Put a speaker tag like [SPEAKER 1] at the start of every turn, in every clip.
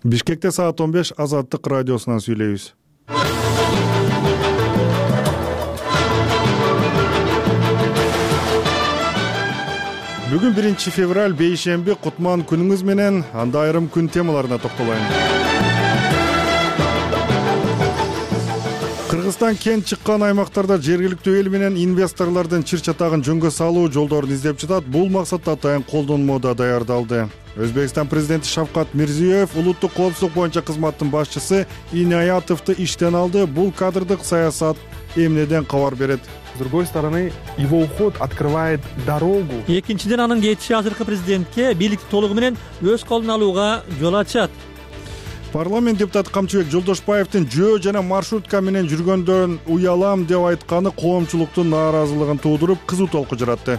[SPEAKER 1] Бишкекте саат 15 Азаттык радиосунан сүйлөйбүз. Бүгүн 1 февраль бейшемби, Кутман күнүңүз менен. Анда айрым күн темаларына токтолайын. Кыргызстан кен чыккан аймактарда жергиликтүү эл менен инвесторлордун чыр-чатагын жөнгө салуу жолдорун издеп жатат. Бул максатта атайын колдонмодо даярдалды. Өзбекстан президенти Шавкат Мирзиёев улуттук коопсуздук боюнча кызматтын башчысы Инаятовду иштен алды. Бул кадрдык саясат эмнеден кабар берет?
[SPEAKER 2] С другой стороны, его уход открывает дорогу.
[SPEAKER 3] Экинчиден анын кетиши азыркы президентке бийликти толугу менен өз колуна алууга жол ачат.
[SPEAKER 1] Парламент депутаты Камчыбек Жолдошбаевдин жөө жана маршрутка менен жүргөндөн уялам деп айтканы коомчулуктун нааразылыгын туудуруп, кызуу толку жаратты.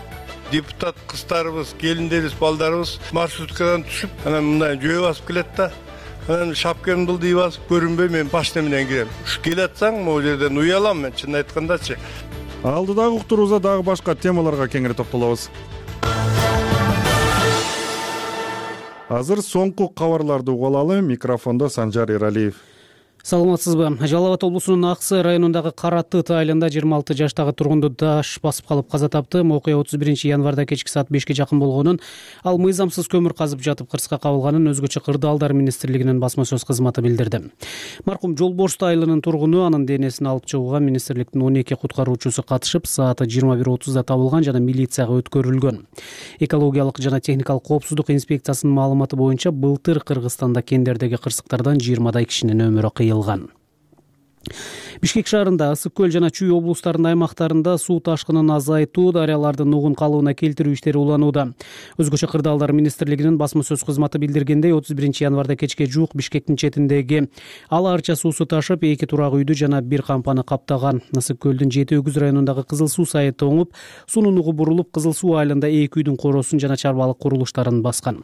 [SPEAKER 4] Депутат кыздарыбыз, келиндерибиз, балдарыбыз маршруткадан түшүп, анан мындай жөө басып келет да. Анан шапкамды былдый басып көрүнбөй мен башта менен кирем. Уш келатсаң, могу жерден уялам мен, чын айткандачы.
[SPEAKER 1] Алдыдагы уктуруубузда дагы башка темаларга кеңири токтолобуз. Азыр соңку кабарларды угуп алалы. Микрофондо Санжар Эралиев.
[SPEAKER 5] Саламатсызбы? Жалал Абад облусунун Аксы районундагы Каратыт айылында 26 жаштагы тургунду даш басып калып каза тапты. Окуя 31 январда кечки саат 5ке жакын болгонун, ал мыйзамсыз көмүр казып жатып кырсыкка кабылганын өзгөчө кырдаалдар министрлигинин басма сөз кызматы билдирди. Маркум Жолборст айылынын тургуну, анын денесин алып чыгууга министрликтин 12 куткаруучусу катышып, сааты 21:30да табылган жана милицияга өткөрүлгөн. Экологиялык жана техникалык коопсуздук инспекциясынын маалыматы боюнча былтыр Кыргызстанда кендердеги кырсыктардан 20дай кишинин өмүрү кыйылган. Бишкек шаарында, Ысык көл жана Чүй облустарынын аймактарында суу ташкынын азайтуу, дарыялардын нугун калыбына келтирүү иштери уланууда. Өзгөчө кырдаалдар министрлигинин басма сөз кызматы билдиргендей, 31 январда кечке жуук Бишкектин четиндеги Ала Арча суусу ташып, 2 турак үйдү жана 1 кампаны каптаган. Ысык көлдүн Жети Өгүз районундагы Кызыл суу сайыты оңуп, суунун нугу бурулуп, Кызыл суу айылында 2 үйдүн коросун жана чарбалык курулуштарын баскан.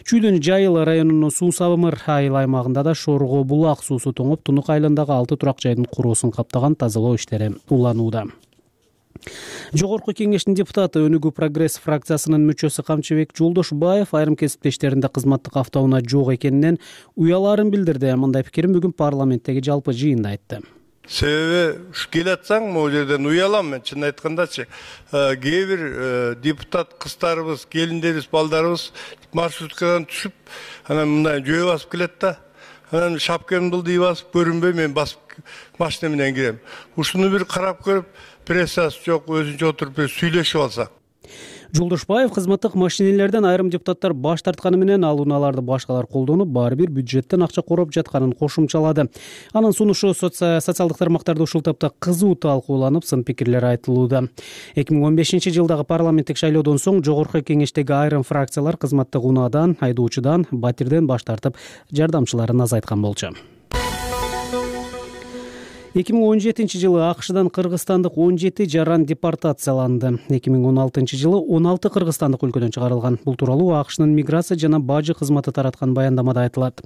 [SPEAKER 5] Чүйдүн Жайыл районунун Суу Сабымыр айыл аймагында да Шорго булак суусу тоңуп, Тунук айылындагы 6 турак жайдын куросун каптаган, тазалоо иштери уланууда. Жогорку кеңештин депутаты, Өнүгүү Прогресс фракциясынын мүчөсү Камчыбек Жолдошбаев айрым кесиптештеринде кызматтык автоунаа жок экенинен уяларын билдирди. Мындай пикирин бүгүн парламенттеги жалпы жыйында айтты.
[SPEAKER 4] Себеби уш келатсаң, могу жерден уялам мен, чын айткандачы. Кээ бир депутат кыздарыбыз, келиндерибиз, балдарыбыз маршруткадан түшүп, анан мындай жөө басып келет да. Анан шапкамды былдый басып көрүнбөй мен басып машина менен кирем. Ушуну бир карап көрүп, прессасы жок, өзүнчө отуруп сүйлөшүп алса.
[SPEAKER 5] Жолдошбаев кызматтык машинелерден айрым депутаттар баш тартканы менен ал унааларды башкалар колдонуп, баары бир бюджеттен акча короп жатканын кошумчалады. Анын сунушу социалдык тармактарда ушул тапта кызуу талкууланып, сын пикирлер айтылууда. 2015-жылдагы парламенттик шайлоодон соң жогорку кеңештеги айрым фракциялар кызматтык унаадан, айдоочудан, батирден баш тартып, жардамчыларын азайткан болчу. 2017-жылы АКШдан кыргызстандык 17 жаран депортацияланды. 2016-жылы 16 кыргызстандык өлкөдөн чыгарылган. Бул тууралуу АКШнын миграция жана бажы кызматы тараткан баяндамада айтылат.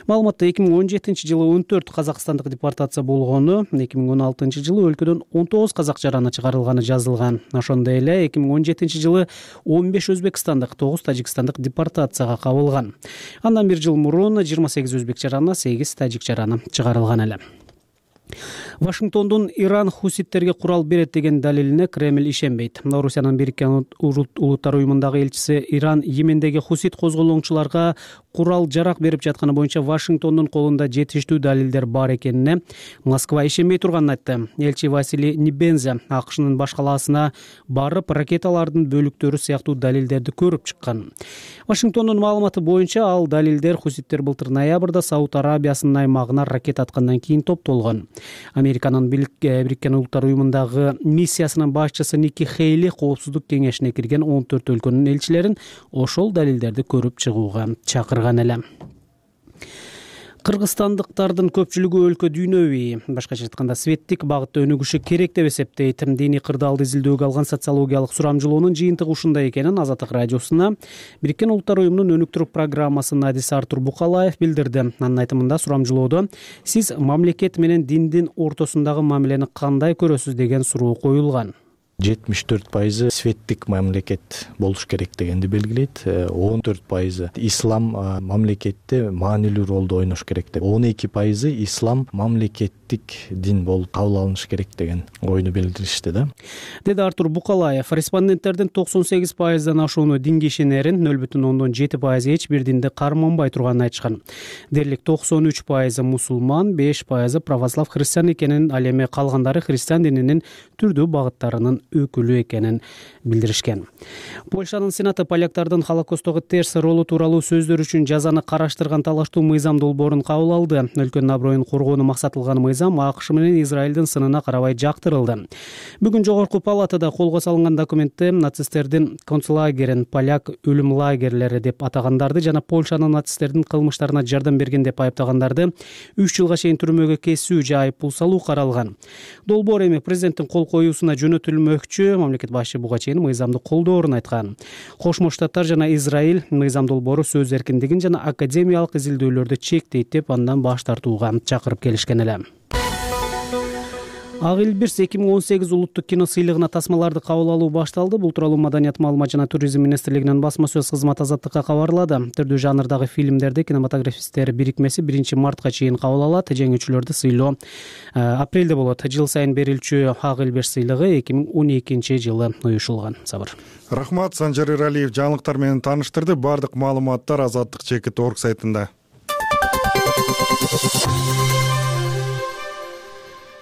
[SPEAKER 5] Маалыматта 2017-жылы 14 казакстандык депортация болгону, 2016-жылы өлкөдөн 19 казак жараны чыгарылганы жазылган. Ошондой эле 2017-жылы 15 өзбекстандык, 9 тажикстандык депортацияга кабылган. Андан 1 жыл мурун 28 өзбек жараны, 8 тажик жараны чыгарылган эле. Вашингтондун Иран хуситтерге курал берет деген далилине Кремль ишенбейт. Орусиянын Бириккен Улуттар уюмундагы элчиси Иран Йемендеги хусит козголоңчуларга курал жарак берип жатканы боюнча Вашингтондун колунда жетиштүү далилдер бар экенине Москва ишенбей турганын айтты. Элчи Василий Небенза АКШнын баш калаасына барып, ракеталардын бөлүктөрү сыяктуу далилдерди көрүп чыккан. Вашингтондун маалыматы боюнча ал далилдер хуситтер былтыр ноябрда Сауд Арабиясынын аймагына ракета аткандан кийин топтолгон. Американын Бириккен Улуттар уюмундагы миссиясынын башчысы Ники Хейли коопсуздук кеңешине кирген 14 өлкөнүн элчилерин ошол далилдерди көрүп чыгууга чакырган эле. Кыргызстандыктардын көпчүлүгү өлкө дүйнөбүй, башкача айтканда светтик багытта өнүгүшү керек деп эсептейт. Диний кырдаалды изилдөөгө алган социологиялык сурамжылоонун жыйынтыгы ушундай экенин Азаттык радиосуна Бириккен Улуттар уюмунун өнүктүрүү программасынын адиси Артур Букалаев билдирди. Анын айтымында сурамжылоодо сиз мамлекет менен диндин ортосундагы мамилени кандай көрөсүз деген суроо коюлган.
[SPEAKER 6] 74% светтик мамлекет болуш керек дегенди белгилейт. 14% ислам мамлекетте маанилүү ролду ойнош керек деп, 12% ислам мамлекеттик дин болуп кабыл алыныш керек деген ойну билдиришти да.
[SPEAKER 5] Деди Артур Букалаев. Респонденттердин 98%дан ашууну динге ишенерин, 0,7% эч бир динди карманбай турганын айтышкан. Дерлик 93% мусулман, 5% православ христиан экенин, ал эми калгандары христиан дининин түрдүү багыттарынын өкүлү экенин билдиришкен. Польшанын сенаты поляктардын Холокосттогу терс ролу тууралуу сөздөр үчүн жазаны караштырган талаштуу мыйзам долбоорун кабыл алды. Өлкөнүн аброюн коргоону максатылган мыйзам АКШ менен Израилдин сынына карабай жактырылды. Бүгүн жогорку палатада колго салынган документте нацисттердин концлагерин поляк өлүм лагерлери деп атагандарды жана Польшанын нацисттердин кылмыштарына жардам берген деп айыптагандарды 3 жылга чейин түрмөгө кесүү же айыппул салуу каралган. Долбоор эми президенттин кол коюусуна жөнөтүлмөкчү. Мамлекет башчы буга чейин мыйзамды колдоорун айткан. Кошмо Штаттар жана Израиль мыйзам долбоору сөз эркиндигин жана академиялык изилдөөлөрдү чектейт деп андан баш тартууга чакырып келишкен эле. Ак эл Бирс 2018 улуттук кино сыйлыгына тасмаларды кабыл алуу башталды. Бул тууралуу Маданият, маалымат жана туризм министрлигинин басма сөз кызматы Азаттыкка кабарлады. Түрдүү жанрдагы фильмдерди кинематографисттер бирикмеси 1-мартка чейин кабыл алат. Жеңүүчүлөрдү сыйлоо апрелде болот. Жыл сайын берилчү Ак эл Бирс сыйлыгы 2012-жылы уюшулган. Сабыр.
[SPEAKER 1] Рахмат, Санжар Эралиев жаңылыктар менен тааныштырды. Бардык маалыматтар azattik.org сайтында.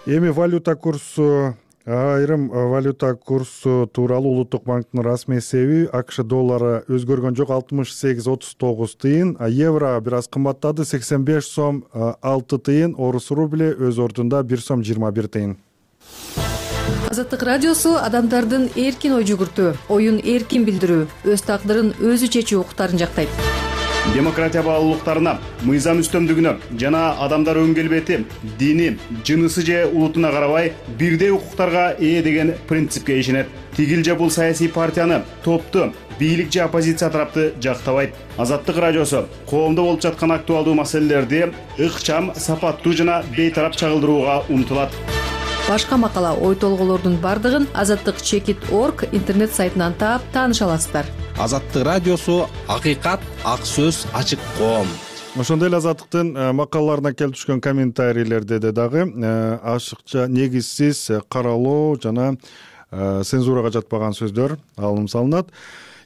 [SPEAKER 1] Эми валюта курсу, айрым валюта курсу тууралуу Улуттук банктын расмий эсеби АКШ доллары өзгөргөн жок, 68.39 тыйын, евро бир аз кымбаттады, 85 сом 6 тыйын, орус рубли өз ордунда 1 сом 21 тыйын.
[SPEAKER 7] Азаттык радиосу адамдардын эркин ой жүгүртүү, оюн эркин билдирүү, өз тагдырын өзү чечүү укуктарын жактайт.
[SPEAKER 8] Демократия баалуулуктарына, мыйзам үстөмдүгүнө жана адамдар өн келбети, дини, жынысы же улутуна карабай бирдей укуктарга ээ деген принципке ишенет. Тигил же бул саясий партияны, топту, бийлик же оппозиция тарапты жактабайт. Азаттык радиосу коомдо болуп жаткан актуалдуу маселелерди ыкчам, сапаттуу жана бейтарап чагылдырууга умтулат.
[SPEAKER 7] Башка макала, ой толголордун бардыгын azattik.org интернет сайтынан таап тааныша аласыздар.
[SPEAKER 9] Азаттык радиосу акыйкат, ак сөз, ачык коом.
[SPEAKER 1] Ошондой эле Азаттыктын макалаларына келип түшкөн комментарийлерде дагы ашыкча, негизсиз каралоо жана цензурага жатпаган сөздөр алынып салынат.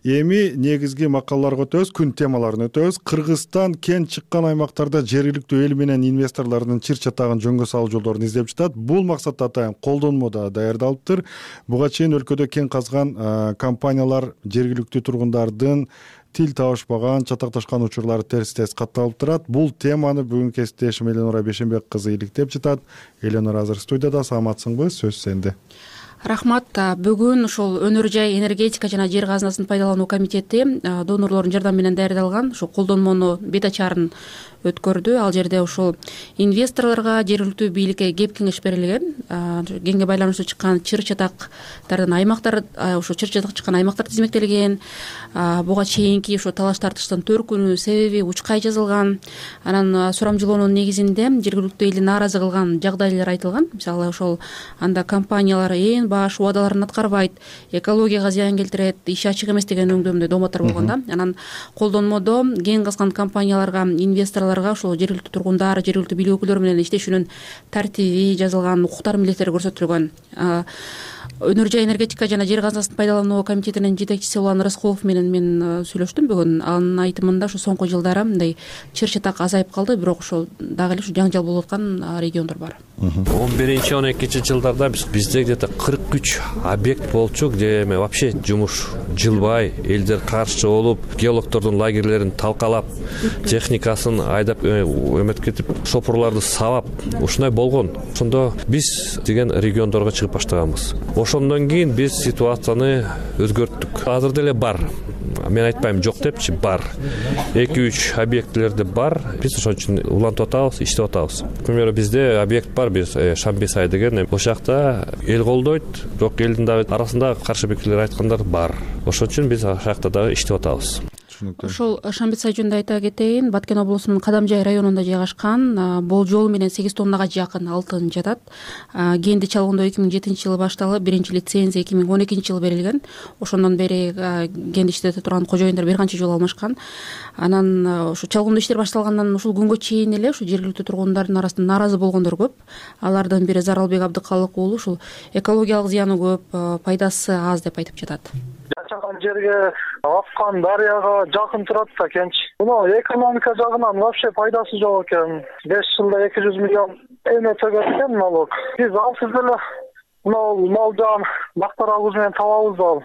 [SPEAKER 1] Эми негизги макалаларга өтөбүз, күн темаларын өтөбүз. Кыргызстан кен чыккан аймактарда жергиликтүү эл менен инвесторлордун чыр чатагын жөнгө салуу жолдорун издеп жатат. Бул максатта атайын колдонмо да даярдалыптыр. Буга чейин өлкөдө кен казган компаниялар жергиликтүү тургундардын тил табышпаган, чатакташкан учурлары терс катталып турат. Бул теманы бүгүн кесиптешим Эленора Бешенбек кызы иликтеп жатат. Эленора азыр студияда, саламатсыңбы? Сөз сенде.
[SPEAKER 10] Рахмат. Бүгүн ушул өнөр жай энергетика жана жер казынасын пайдалануу комитети донорлордун жардамы менен даярдалган ушул колдонмонун бет ачарын өткөрдү. Ал жерде ушул инвесторлорго, жергиликтүү бийликке кеп кеңеш берилген. Кенге байланыштуу чыккан чыр чатактардын аймактар, ушул чыр чатак чыккан аймактар тизмектелген. Буга чейинки ушул талаш тартыштын төркүнү, себеби учкай жазылган. Анан сурамжылоонун негизинде жергиликтүү элди нааразы кылган жагдайлар айтылган. Мисалы ошол анда компаниялар баш убадаларын аткарбайт, экологияга зыян келтирет, иш ачык эмес деген өңдөмдө дооматтар болгон да. Анан колдонмодо кен казган компанияларга, инвесторлорго ошол жергиликтүү тургундар, жергиликтүү бийлик өкүлдөрү менен иштешүүнүн тартиби жазылган, укуктар, милдеттери көрсөтүлгөн. Өнөр жай энергетика жана жер казынасын пайдалануу комитетинин жетекчиси Улан Рыскулов менен мен сүйлөштүм бүгүн. Анын айтымында ушу соңку жылдары мындай чыр чатак азайып калды, бирок ошол дагы эле ушу жаңжал болуп аткан региондор бар.
[SPEAKER 11] 11-12 жылдарда бизде где-то 43 объект болчу, где вообще жумуш жылбай, элдер каршы болуп, геологдордун лагерлерин талкалап, техникасын айдап өмөткетип, шопурларды сабап, ушундай болгон. Ошондо биз деген региондорго чыгып баштаганбыз. Ошондон кийин биз ситуацияны өзгөрттүк. Азыр деле бар. Мен айтпайм жок депчи, бар. 2-3 объектлерде бар. Биз ошон үчүн улантып атабыз, иштеп атабыз. К примеру, бизде объект бар, биз Шамбесай деген. Ошол жакта эл колдойт, бирок элдин дагы арасында каршы пикирлер айткандар бар. Ошон үчүн биз ошол жакта дагы иштеп атабыз.
[SPEAKER 1] түшүнүктүү.
[SPEAKER 10] Ошол Шамбетсай жөнүндө айта кетейин. Баткен облусунун Кадамжай районунда жайгашкан. Болжол менен 8 тоннага жакын алтын жатат. Кенди чалгындоо 2007-жылы башталып, биринчи лицензия 2012-жылы берилген. Ошондон бери кенди иштете турган кожоюндар бир канча жолу алмашкан. Анан ушу чалгындоо иштер башталгандан ушул күнгө чейин эле ушу жергиликтүү тургундардын арасында нааразы болгондор көп. Алардын бири Заралбек Абдыкалык уулу ушул экологиялык зыяны көп, пайдасы аз деп айтып жатат.
[SPEAKER 12] Жашаган жерге аккан дарыяга жакын турат да кенч. Мына экономика жагынан вообще пайдасы жок экен. 5 жылда 200 миллион эме төгөт экен налог. Биз алсыз эле мына мал жан бактарабыз менен табабыз ал.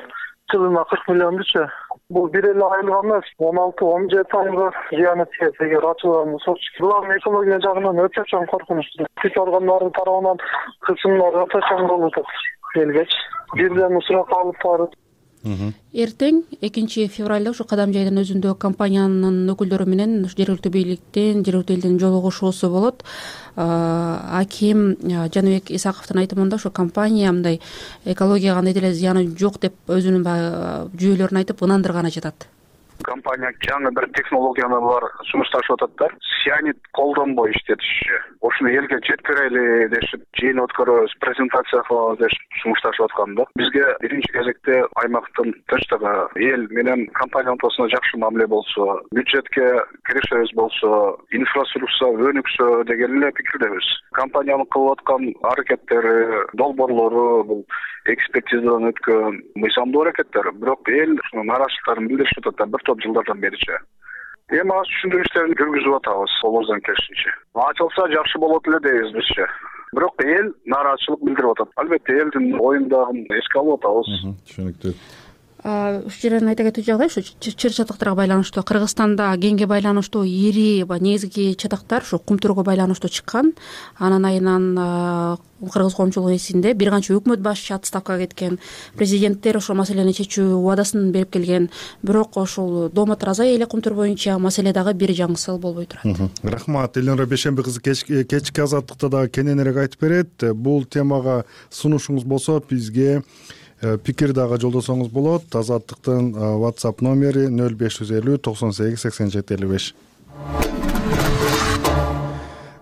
[SPEAKER 12] Жылына 40 миллиончу. Бул бир эле айылга эмес, 16-17 айылга зыяны тиет эгер ачылган болсо. Булардын экология жагынан өтө чоң коркунучтуу. Күч органдары тарабынан кысымдар өтө чоң болуп атат. Элгеч бирден сурак алып барып.
[SPEAKER 10] Эртең 2 февралда ушу Кадамжайдын өзүндө компаниянын өкүлдөрү менен жергиликтүү бийликтин, жергиликтүү элдин жолугушуусу болот. Аким Жаныбек Исаковдун айтымында ушу компания мындай экологияга кандай деле зыяны жок деп өзүнүн жүйөлөрүн айтып ынандырганы жатат.
[SPEAKER 12] Компания жаңы бір технологияны бар сунушташып атат. Сианид колдонбой иштетиши. Ошону элге жеткирели дешип, жыйын өткөрөбүз, презентация кылабыз деп сунушташып аткан да. Бизге биринчи кезекте аймактын тынчтыгы, эл менен компания ортосунда жакшы мамиле болсо, бюджетке киришебиз болсо, инфраструктура өнүксө деген эле пикирдебиз. Компаниянын кылып аткан аракеттери, долбоорлору бул экспертизадан өткөн мыйзамдуу аракеттер, бирок эл ушунун нааразычылыктарын билдирип атат бир топ жылдардан беричи. Эми аз түшүндүрүү иштерин жүргүзүп атабыз, колубуздан келишинче. Ачылса жакшы болот эле дейбиз бизче. Бирок эл нааразычылык билдирип атат. Албетте элдин оюндагын эске алып атабыз.
[SPEAKER 1] Түшүнүктүү.
[SPEAKER 10] Ушул жерден айта кетүү жагдай ушу чыр чатактарга байланыштуу Кыргызстанда кеңге байланыштуу ири негизги чатактар ушу кумтурго байланыштуу чыккан. Анын айынан кыргыз коомчулугу эсинде бир канча өкмөт башчы отставкага кеткен, президенттер ошол маселени чечүү убадасын берип келген. Бирок ошол Доомат Разай эле кумтур боюнча маселе дагы бир жаңысыл болбой турат.
[SPEAKER 1] Рахмат. Элнура Бейшемби кызы кечки азаттыкта дагы кененирээк айтып берет. Бул темага сунушуңуз болсо бизге пикир дагы жолдосоңуз болот. Азаттыктын WhatsApp номери 0550 98 87 55.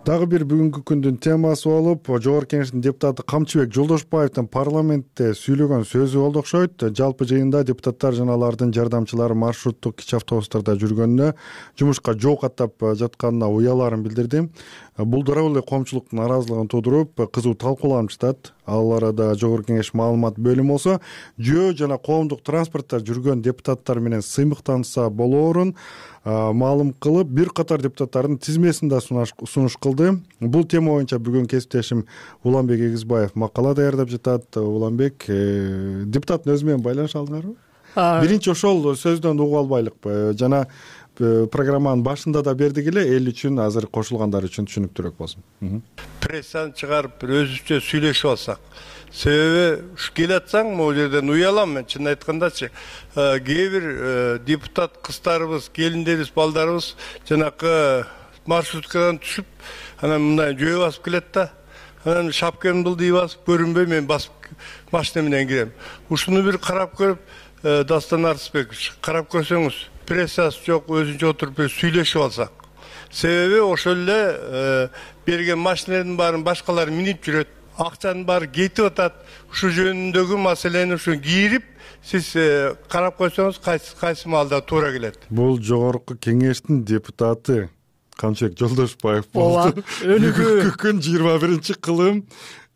[SPEAKER 1] Дагы бир бүгүнкү күндүн темасы болуп, Жогорку Кеңештин депутаты Камчыбек Жолдошбаевдин парламентте сүйлөгөн сөзү болду окшойт. Жалпы жыйында депутаттар жана алардын жардамчылары маршруттук кичи автобустарда жүргөнүнө, жумушка жол каттап жатканына уяларын билдирди. Бул дароо эле коомчулуктун нааразылыгын туудуруп, кызуу талкууланып жатат. Ал арада Жогорку Кеңеш маалымат бөлүмү болсо, жөө жана коомдук транспортто жүргөн депутаттар менен сыймыктанса болоорун маалым кылып, бир катар депутаттардын тизмесин да сунуш кылды. Бул тема боюнча бүгүн кесиптешим Уланбек Эгизбаев макала даярдап жатат. Уланбек, депутаттын өзү менен байланыша алдыңарбы? Биринчи ошол сөздөн угуп албайлыкпы? Жана программанын башында да бердик эле, эл үчүн, азыр кошулгандар үчүн түшүнүктүүрөөк болсун.
[SPEAKER 4] Прессаны чыгарып бир өзүбүзчө сүйлөшүп алсак. Себеби ушу келатсаң, могу жерден уялам мен, чын айткандачы. Кээ бир депутат кыздарыбыз, келиндерибиз, балдарыбыз жанакы маршруткадан түшүп, анан мындай жөө басып келет да. Анан шапкамды былдый басып, көрүнбөй мен басып машина менен кирем. Ушуну бир карап көрүп, Дастан Арысбекович, карап көрсөңүз, прессасы жок, өзүнчө отуруп сүйлөшүп алсак. Себеби ошол эле берген машиналардын баарын башкалар минип жүрөт. Акчанын баары кетип атат. Ушу жөнүндөгү маселени ушу кирип, сиз карап койсоңуз кайсы маалда туура келет.
[SPEAKER 1] Бул Жогорку Кеңештин депутаты Камчыбек Жолдошбаев болду.
[SPEAKER 3] Өнүгүү
[SPEAKER 1] күн 21-кылым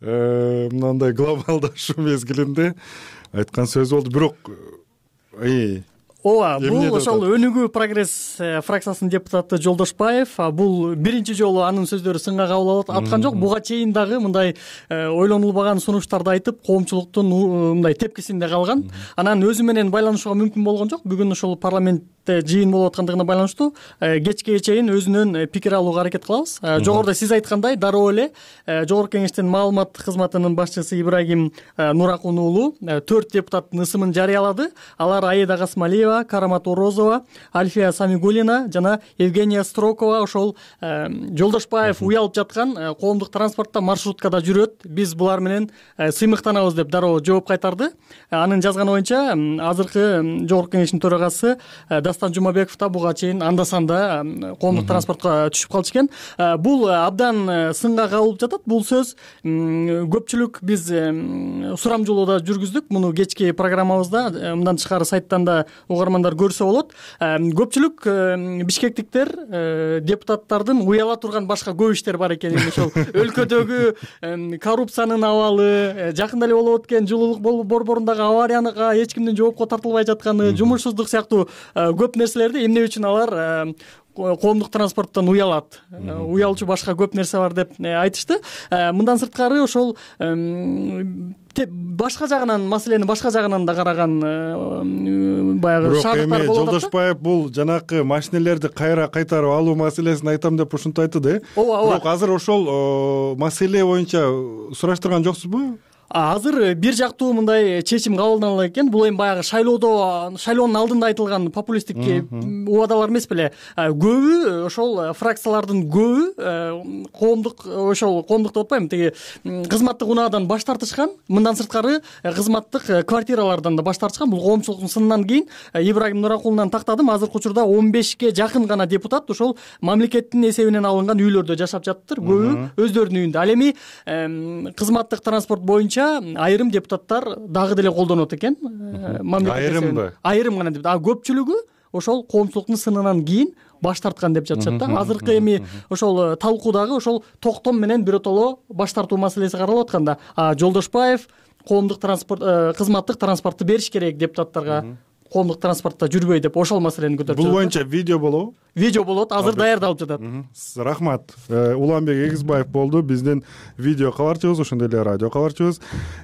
[SPEAKER 1] мындай глобалдашуу мезгилинде айткан сөз болду. Бирок
[SPEAKER 3] ооба, бул ошол Өнүгүү прогресс фракциясынын депутаты Жолдошбаев. Бул биринчи жолу анын сөздөрү сынга кабыл аткан жок. Буга чейин дагы мындай ойлонулбаган сунуштарды айтып, коомчулуктун мындай тепкисинде калган. Анан өзү менен байланышууга мүмкүн болгон жок. Бүгүн ошол парламентте жыйын болуп аткандыгына байланыштуу кечке чейин өзүнүн пикир алууга аракет кылабыз. Жогоруда сиз айткандай, дароо эле Жогорку Кеңештин маалымат кызматынын башчысы Ибрагим Нуракун уулу 4 депутаттын ысымын жарыялады. Алар Аида Касмалиева, Карамат Орозова, Альфия Самигулина жана Евгения Строкова. Ошол Жолдошбаев уялып жаткан коомдук транспортто маршруткада жүрөт. Биз булар менен сыймыктанабыз деп дароо жооп кайтарды. Анын жазганы боюнча азыркы Жогорку Кеңештин төрагасы Дастан Дастан Жумабеков да буга чейин анда санда коомдук транспортко түшүп калчу экен. Бул абдан сынга кабылып жатат. Бул сөз көпчүлүк биз сурамжылоодо жүргүздүк. Муну кечки программабызда мындан тышкары сайттан да угармандар көрсө болот. Көпчүлүк бишкектиктер депутаттардын уяла турган башка көп иштер бар экенин, ошол өлкөдөгү коррупциянын абалы, жакында эле болуп өткөн жылуулук борборундагы аварияга эч кимдин жоопко тартылбай жатканы, жумушсуздук сыяктуу көп нерселерди эмне үчүн алар коомдук транспорттон уялат, уялчу башка көп нерсе бар деп айтышты. Мындан сырткары ошол башка жагынан, маселени башка жагынан да караган баягы шаардыктар болуп атат.
[SPEAKER 1] Жолдошбаев бул жанакы машинелерди кайра кайтарып алуу маселесин айтам деп ушинтип айтты. Бирок азыр ошол маселе боюнча сураштырган жоксузбу?
[SPEAKER 3] Азыр бир жактуу мындай чечим кабылдана экен. Бул эми баягы шайлоонун алдында айтылган популисттик убадалар эмес беле. Көбү ошол фракциялардын көбү коомдук деп атпайм, тиги кызматтык унаадан баш тартышкан. Мындан сырткары кызматтык квартиралардан да баш тартышкан. Бул коомчулуктун сынынан кийин Ибрагим Нуракулунан тактадым. Азыркы учурда 15ке жакын гана депутат ошол мамлекеттин эсебинен алынган үйлөрдө жашап жатыптыр. Көбү өздөрүнүн үйүндө. Ал эми кызматтык транспорт боюнча айрым депутаттар дагы деле колдонот экен.
[SPEAKER 1] Айрымбы?
[SPEAKER 3] Айрым гана депутат. Көпчүлүгү ошол коомчулуктун сынынан кийин баш тарткан деп жатышат да. Азыркы эми ошол талкуудагы ошол токтом менен биротоло баш тартуу маселеси каралып атканда, Жолдошбаев коомдук транспорт кызматтык транспортты бериш керек депутаттарга, коомдук транспортто жүрбөй деп ошол маселени көтөрүп жатат.
[SPEAKER 1] Бул боюнча видео болобу?
[SPEAKER 3] Видео болот, азыр даярдалып жатат.
[SPEAKER 1] Рахмат. Уланбек Эгизбаев болду биздин видео кабарчыбыз, ошондой эле радио кабарчыбыз.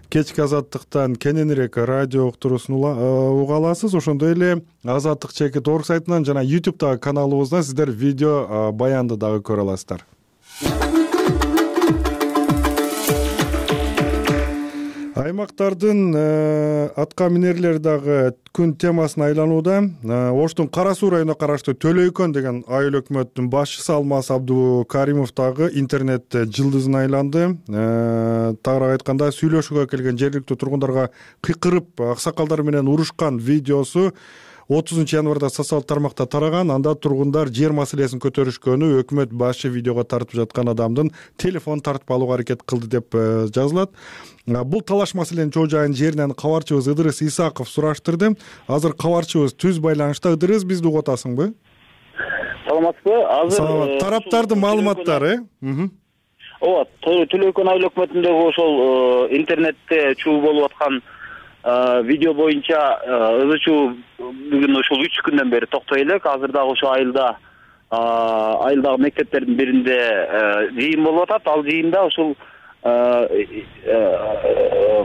[SPEAKER 1] Кечки Азаттыктан кененирээк радио уктуруусун уга аласыз. Ошондой эле Азаттык чекит орг сайтынан жана YouTube'дагы каналыбыздан сиздер видео баянды дагы көрө аласыздар. Аймактардын атка минерлери дагы күн темасына айланууда. Оштун Кара Суу районуна караштуу Төлөйкөн деген айыл өкмөттүн башчысы Алмаз Абдукаримов дагы интернетте жылдызына айланды. Тагыраак айтканда, сүйлөшүүгө келген жергиликтүү тургундарга кыйкырып аксакалдар менен урушкан видеосу 30 январда социалдык тармакта тараган. Анда тургундар жер маселесин көтөрүшкөнү, өкмөт башы видеого тартып жаткан адамдын телефон тартып алууга аракет кылды деп жазылат. Бул талаш маселенин чоо жайын жеринен кабарчыбыз Ыдырыс Исаков сураштырды. Азыр кабарчыбыз түз байланышта. Ыдырыс, бизди угуп атасыңбы?
[SPEAKER 13] Саламатсызбы? Азыр
[SPEAKER 1] тараптардын маалыматтары.
[SPEAKER 13] Ооба, Төлөйкөн айыл өкмөтүндөгү ошол интернетте чуу болуп аткан видео боюнча ызы-чуу бүгүн ошол 3 күндөн бери токтой элек. Азыр дагы ошо айылдагы мектептердин биринде жыйын болуп атат. Ал жыйында ошол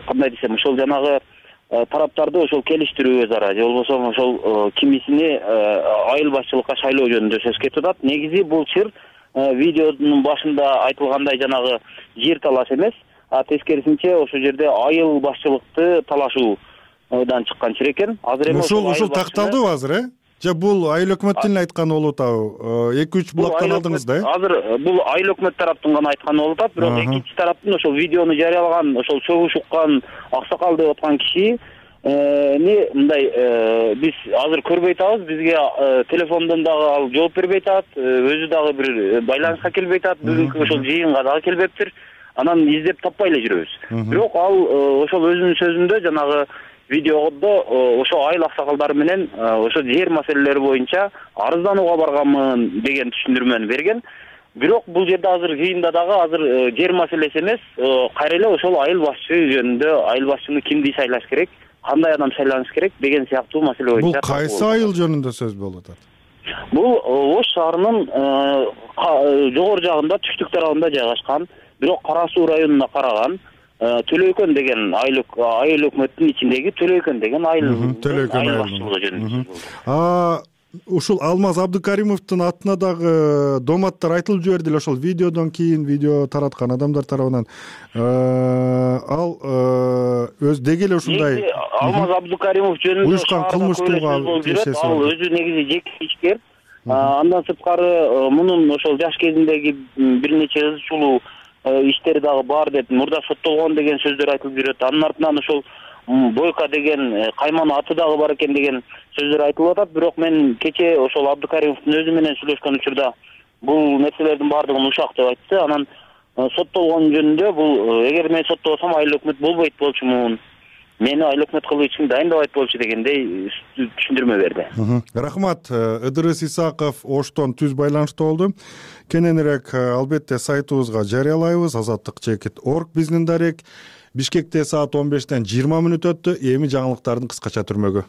[SPEAKER 13] кандай десем, ошол жанагы тараптарды ошол келиштирүү өз ара, же болбосо ошол кимисини айыл башчылыкка шайлоо жөнүндө сөз кетип атат. Негизи бул чыр видеонун башында айтылгандай жанагы жер талаш эмес, тескерисинче ошол жерде айыл башчылыкты талашуудан чыккан чыр экен. Азыр эми
[SPEAKER 1] ошол такталдыбы азыр, же бул айыл өкмөттүн айтканы болуп атабы? 2-3 булактан алдыңыз да?
[SPEAKER 13] Азыр бул айыл өкмөт тараптын гана айтканы болуп атат, бирок экинчи тараптын ошол видеону жарыялаган, ошол сөгүш уккан, аксакал деп аткан киши мындай биз азыр көрбөй атабыз, бизге телефондон дагы ал жооп бербей атат, өзү дагы бир байланышка келбей атат, бүгүнкү ошол жыйынга дагы келбептир. Анан издеп таппай эле жүрөбүз. Бирок ал ошол өзүнүн сөзүндө жанагы видеодо ошо айыл аксакалдары менен ошо жер маселелери боюнча арызданууга барганмын деген түшүндүрмөнү берген. Бирок бул жерде азыр жыйында дагы азыр жер маселеси эмес, кайра эле ошол айыл башчы жөнүндө, айыл башчыны кимди шайлаш керек, кандай адам шайланыш керек деген сыяктуу маселе боюнча.
[SPEAKER 1] Бул кайсы айыл жөнүндө сөз болуп атат?
[SPEAKER 13] Бул Ош шаарынын жогору жагында, түштүк тарабында жайгашкан, бирок Кара Суу районуна караган Төлөйкөн деген айыл өкмөттүн ичиндеги Төлөйкөн деген айыл башчылыгы жөнүндө.
[SPEAKER 1] Ушул Алмаз Абдукаримовдун атына дагы доматтар айтылып жиберди эле ошол видеодон кийин, видео тараткан адамдар тарабынан. Ал өз деги эле ушундай
[SPEAKER 13] Алмаз Абдукаримов жөнүндө
[SPEAKER 1] уюшкан кылмыштууга
[SPEAKER 13] тиешеси бар. Ал өзү негизи жеке ишкер. Андан сырткары мунун ошол жаш кезиндеги бир нече ызчулуу иштери дагы бар деп, мурда соттолгон деген сөздөр айтылып жүрөт. Анын артынан ошол Бойко деген кайманын аты дагы бар экен деген сөздөр айтылып атат. Бирок мен кече ошол Абдыкаримовдун өзү менен сүйлөшкөн учурда бул нерселердин баардыгын ушак деп айтты. Анан соттолгон жөнүндө бул эгер мен соттобосом айыл өкмөт болбойт болчумун, мени айыл өкмөт кылуу үчүн дайындабайт болчу дегендей түшүндүрмө берди.
[SPEAKER 1] Рахмат. Ыдырыс Исаков Оштон түз байланышта болду. Кененирээк албетте сайтыбызга жарыялайбыз. Азаттык.org биздин дарек. Бишкекте саат 15-тен 20 мүнөт өттү. Эми жаңылыктардын кыскача түрмөгү.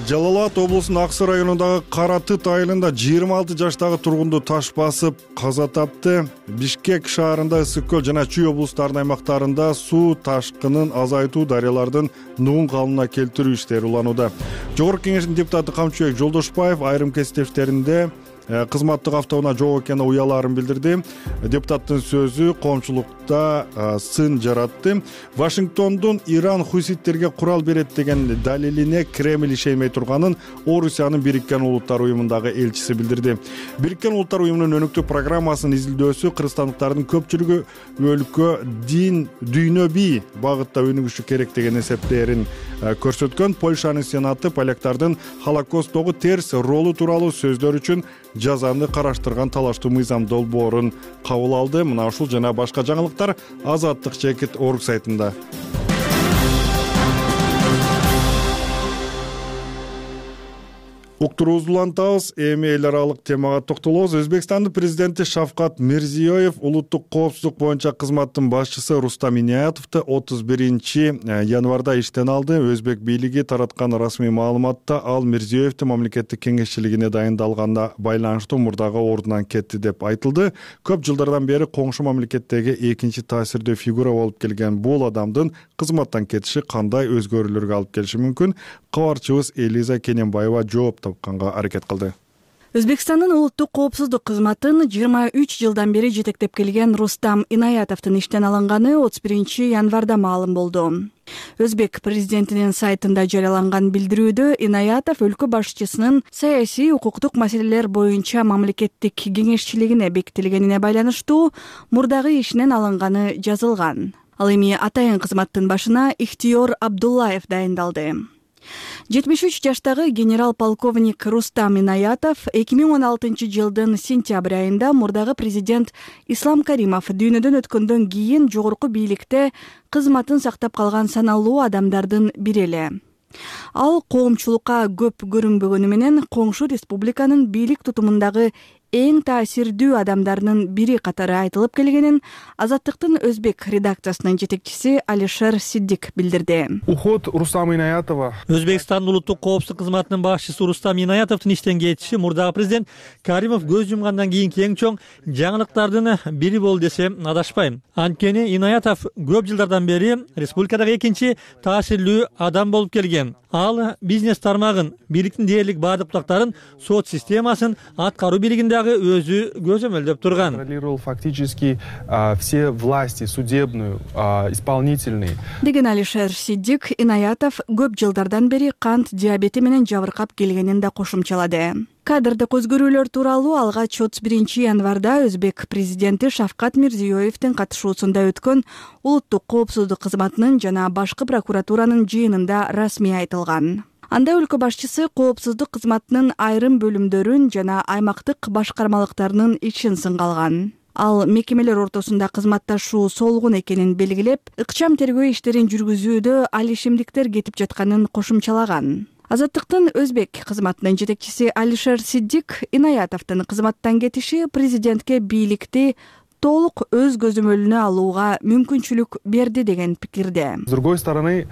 [SPEAKER 1] Жалал Абад облусунун Аксы районундагы Кара Тыт айылында 26 жаштагы тургунду таш басып каза тапты. Бишкек шаарында Ысык көл жана Чүй облустарынын аймактарында суу ташкынын азайтуу, дарыялардын нугун калыбына келтирүү иштери уланууда. Жогорку Кеңештин депутаты Камчыбек Жолдошбаев айрым кесиптештеринде кызматтык автоунаа жок экенине уялаарын билдирди. Депутаттын сөзү коомчулукта сын жаратты. Вашингтондун Иран хуситтерге курал берет деген далилине Кремль ишенбей турганын Орусиянын Бириккен Улуттар уюмундагы элчиси билдирди. Бириккен Улуттар уюмунун өнүктүү программасынын изилдөөсү кыргызстандыктардын көпчүлүгү өлкө дин дүйнө бий багытта өнүгүшү керек деген эсептээрин көрсөткөн. Польшанын сенаты поляктардын Холокосттогу терс ролу тууралуу сөздөр үчүн жазаны караштырган талаштуу мыйзам долбоорун кабыл алды. Мына ушул жана башка жаңылыктар Азаттык.org сайтында. Уктуруубузду улантабыз. Эми эл аралык темага токтолобуз. Өзбекстандын президенти Шавкат Мирзиёев улуттук коопсуздук боюнча кызматтын башчысы Рустам Инаятовду 31-январда иштен алды. Өзбек бийлиги тараткан расмий маалыматта ал Мирзиёевдин мамлекеттик кеңешчилигине дайындалганга байланыштуу мурдагы ордунан кетти деп айтылды. Көп жылдардан бери коңшу мамлекеттеги экинчи таасирдүү фигура болуп келген бул адамдын кызматтан кетиши кандай өзгөрүүлөргө алып келиши мүмкүн? Кабарчыбыз Элиза Кененбаева жооп тапканга аракет кылды.
[SPEAKER 14] Өзбекстандын улуттук коопсуздук кызматын 23 жылдан бери жетектеп келген Рустам Инаятовдун иштен алынганы 31-январда маалым болду. Өзбек президентинин сайтында жарыяланган билдирүүдө Инаятов өлкө башчысынын саясий укуктук маселелер боюнча мамлекеттик кеңешчилигине бекитилгенине байланыштуу мурдагы ишинен алынганы жазылган. Ал эми атайын кызматтын башына Ихтиёр Абдуллаев дайындалды. 73 жаштагы генерал-полковник Рустам Инаятов 2016 жылдын сентябрь айында мурдагы президент Ислам Каримов дүйнөдөн өткөндөн кийин жогорку бийликте кызматын сактап калган саналуу адамдардын бири эле. Ал коомчулукка көп көрүнбөгөнү менен коңшу республиканын бийлик тутумундагы эң таасирдүү адамдарынын бири катары айтылып келгенин Азаттыктын өзбек редакциясынын жетекчиси Алишер Сиддик билдирди.
[SPEAKER 2] Уход Рустама Инаятова.
[SPEAKER 15] Өзбекстандын улуттук коопсуздук кызматынын башчысы Рустам Инаятовдун иштен кетиши мурдагы президент Каримов көз жумгандан кийинки эң чоң жаңылыктардын бири болду десем адашпайм. Анткени Инаятов көп жылдардан бери республикадагы экинчи таасирлүү адам болуп келген. Ал бизнес тармагын, бийликтин дээрлик баардык бутактарын, сот системасын, аткаруу бийлигиндагы өзү көзөмөлдөп турган.
[SPEAKER 2] Контролировал фактически все власти, судебную, исполнительные.
[SPEAKER 14] Деген Алишер Сиддик Инаятов көп жылдардан бери кант диабети менен жабыркап келгенин да кошумчалады. Кадрдык өзгөрүүлөр тууралуу алгач 31-январда Өзбек президенти Шавкат Мирзиёевдин катышуусунда өткөн улуттук коопсуздук кызматынын жана башкы прокуратуранын жыйынында расмий айтылган. Анда өлкө башчысы коопсуздук кызматынын айрым бөлүмдөрүн жана аймактык башкармалыктарынын ишин сынга алган. Ал мекемелер ортосунда кызматташуу солгун экенин белгилеп, ыкчам тергөө иштерин жүргүзүүдө ал ишемдиктер кетип жатканын кошумчалаган. Азаттыктын өзбек кызматынын жетекчиси Алишер Сиддик Инаятовдун кызматтан кетиши президентке бийликти толук өз көзөмөлүнө алууга мүмкүнчүлүк берди деген пикирде.
[SPEAKER 2] С другой стороны,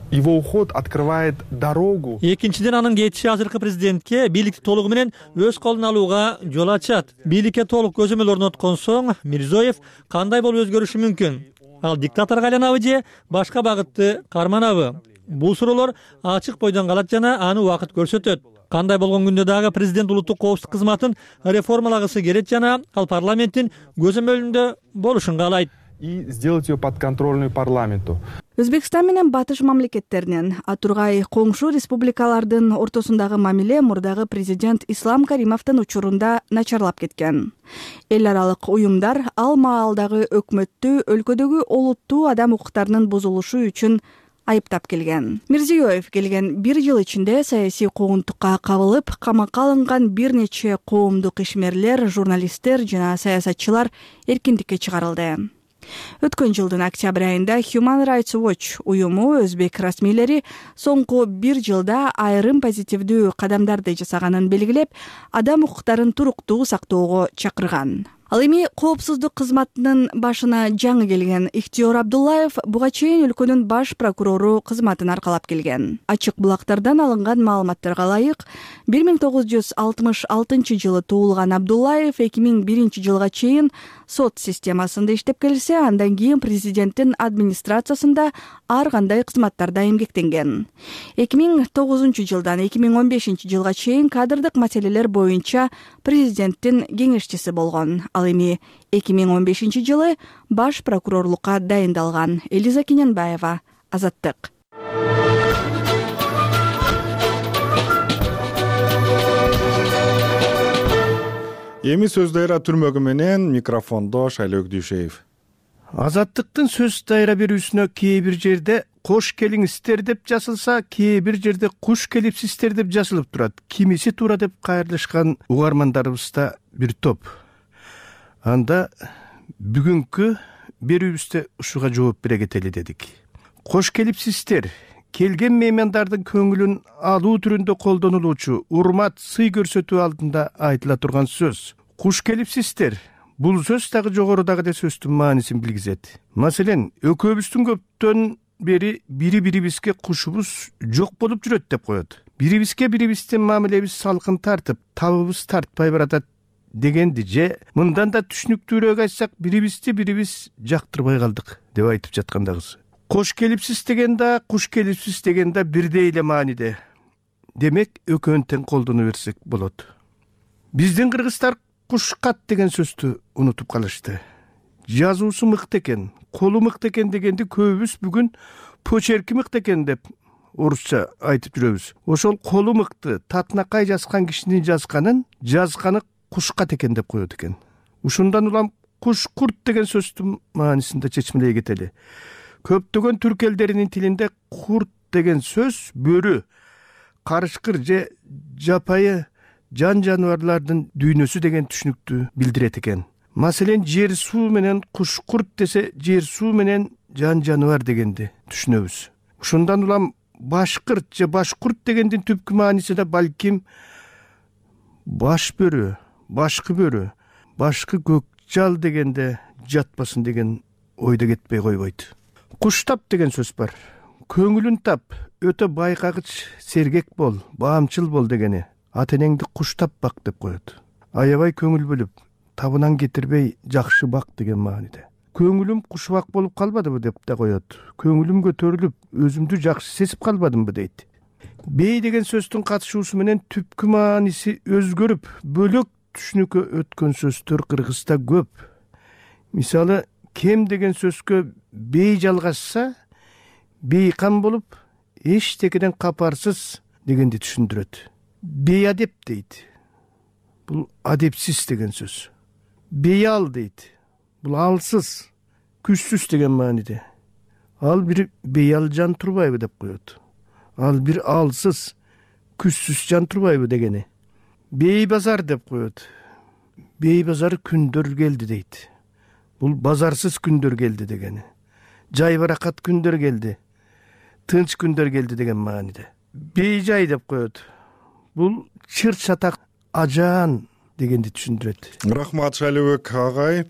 [SPEAKER 2] его уход открывает дорогу.
[SPEAKER 15] Экинчиден анын кетиши азыркы президентке бийликти толугу менен өз колуна алууга жол ачат. Бийликке толук көзөмөл орноткон соң Мирзиёев кандай болуп өзгөрүшү мүмкүн? Ал диктаторго айланабы же башка багытты карманабы? Бул суроолор ачык бойдон калат жана аны убакыт көрсөтөт. Кандай болгон күндө дагы президент улуттук коопсуздук кызматын реформалагысы келет жана ал парламенттин көзөмөлүндө болушун каалайт.
[SPEAKER 2] и сделать ее подконтрольной парламенту.
[SPEAKER 14] Өзбекстан менен батыш мамлекеттеринин, а тургай коңшу республикалардын ортосундагы мамиле мурдагы президент Ислам Каримовдун учурунда начарлап кеткен. Эл аралык уюмдар ал маалдагы өкмөттү өлкөдөгү олуттуу адам укуктарынын бузулушу үчүн айыптап келген. Мирзиёев келген 1 жыл ичинде саясий куугунтукка кабылып, камакка алынган бир нече коомдук ишмерлер, журналисттер жана саясатчылар эркиндикке чыгарылды. Өткөн жылдын октябрь айында Human Rights Watch уюму өзбек расмийлери соңку 1 жылда айрым позитивдүү кадамдарды жасаганын белгилеп, адам укуктарын туруктуу сактоого чакырган. Ал эми коопсуздук кызматынын башына жаңы келген Ихтиёр Абдуллаев буга чейин өлкөнүн баш прокурору кызматын аркалап келген. Ачык булактардан алынган маалыматтарга ылайык, 1966 жылы туулган Абдуллаев 2001 жылга чейин сот системасында иштеп келсе, андан кийин президенттин администрациясында ар кандай кызматтарда эмгектенген. 2009 жылдан 2015 жылга чейин кадрдык маселелер боюнча президенттин кеңешчиси болгон. Ал эми 2015 жылы баш прокурорлукка дайындалган. Элиза Кененбаева, Азаттык.
[SPEAKER 1] Эми сөз дайра түрмөгү менен микрофондо Шайлоо Дүйшеев.
[SPEAKER 16] Азаттыктын сөз дайра берүүсүнө кээ бир жерде кош келиңиздер деп жазылса, кээ бир жерде куш келипсиздер деп жазылып турат. Кимиси туура деп кайрылышкан угармандарыбызда бир топ. Анда бүгүнкү берүүбүздө ушуга жооп бере кетели дедик. Кош келипсиздер, келген меймандардын көңүлүн алуу түрүндө колдонулуучу урмат, сый көрсөтүү алдында айтыла турган сөз. Куш келипсиздер. Бул сөз дагы жогорудагы сөздүн маанисин билгизет. Маселен, экөөбүздүн көптөн бери бири-бирибизге кушубуз жок болуп жүрөт деп коет. Бирибизге бирибиздин мамилебиз салкын тартып, табыбыз тартпай баратат дегенди же мындан да түшүнүктүүрөөк айтсак, бирибиз жактырбай калдык деп айтып жаткандагысы. Кош келипсиз деген да, куш келипсиз деген да бирдей эле мааниде. Демек, экөөнү тең колдоно берсек болот. Биздин кыргыздар кушкат деген сөздү унутуп калышты. Жазуусу мыкты экен, колу мыкты экен дегенди көбүбүз бүгүн почерки мыкты экен деп орусча айтып жүрөбүз. Ошол колу мыкты, татынакай жазган кишинин жазганы кушкат экен деп коет экен. Ушундан улам куш-курт деген сөздүн маанисинде чечмелей кетели. Көптөгөн түрк элдеринин тилинде курт деген сөз бөрү, карышкыр же жапайы жан-жаныбарлардын дүйнөсү деген түшүнүктү билдирет экен. Маселен, жер суу менен куш-курт десе, жер суу менен жан-жаныбар дегенди түшүнөбүз. Ушундан улам башкырт же башкурт дегендин түпкү мааниси да балким баш бөрү, башкы бөрү, башкы көк жал дегенде жатпасын деген ойдо кетпей койбойт. Куштап деген сөз бар. Көңүлүн тап, өтө байкагыч, сергек бол, баамчыл бол дегени. Ата энеңди куштап бак деп коет. Аябай көңүл бөлүп, табынан кетирбей жакшы бак деген мааниде. Көңүлүм кушбак болуп калбадыбы деп да коет. Көңүлүм көтөрүлүп, өзүмдү жакшы сезип калбадымбы дейт. Бей деген сөздүн катышуусу менен түпкү мааниси өзгөрүп, бөлөк түшүнүккө өткөн сөздөр кыргызда көп. Мисалы, кем деген сөзгө бей жалгашса, бейкам болуп, эчтекеден капарсыз дегенди түшүндүрөт. Бейадеп дейт. Бул адепсиз деген сөз. Бейал дейт. Бул алсыз, күчсүз деген мааниде. Ал бир бейал жан турбайбы деп коет. Ал бир алсыз, күчсүз жан турбайбы дегени. Бей базар деп коет. Бей базар күндөр келди дейт. Бул базарсыз күндөр келди дегени. Жай баракат күндөр келди. Тынч күндөр келди деген мааниде. Бей жай деп коет. Бул чыр чатак ажаан дегенди түшүндүрөт.
[SPEAKER 1] Рахмат Шайлообек агай.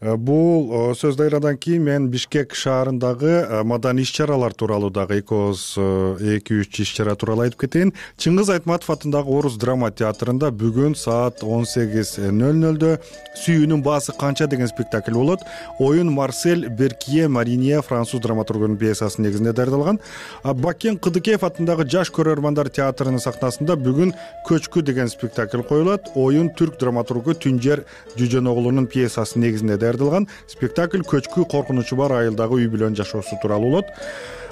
[SPEAKER 1] Бул сөз дайрадан кийин мен Бишкек шаарындагы маданий иш-чаралар тууралуу дагы 2-3 иш-чара тууралуу айтып кетейин. Чыңгыз Айтматов атындагы Орус драма театрында бүгүн саат 18:00 Сүйүүнүн баасы канча деген спектакль болот. Оюн Марсель Беркие Маринье француз драматургунун пьесасынын негизинде даярдалган. Бакен Кыдыкеев атындагы Жаш көрөрмандар театрынын сахнасында бүгүн Көчкү деген спектакль коюлат. Оюн түрк түрк драматургу Түнжер Жүжөногулунун пьесасынын негизинде даярдалган спектакль көчкү коркунучу бар айылдагы үй бүлөнүн жашоосу тууралуу болот.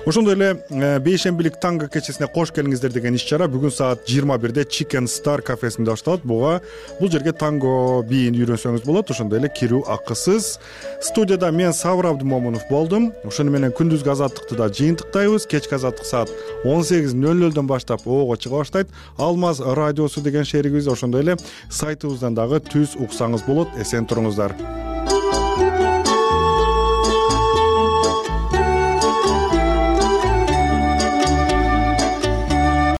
[SPEAKER 1] Ошондой эле бейшембилик танго кечесине кош келиңиздер деген иш-чара бүгүн саат 21-де Chicken Star кафесинде башталат. Бул жерге танго бийин үйрөнсөңүз болот. Ошондой эле кирүү акысыз. Студияда мен Сабыр Абдымомунов болдум. Ошону менен күндүзгү азаттыкты да жыйынтыктайбыз. Кечки азаттык саат 18:00 баштап ого чыга баштайт. Алмаз радиосу деген шеригибиз, ошондой эле сайтыбыздан дагы түз уксаңыз болот. Эсен туруңуздар.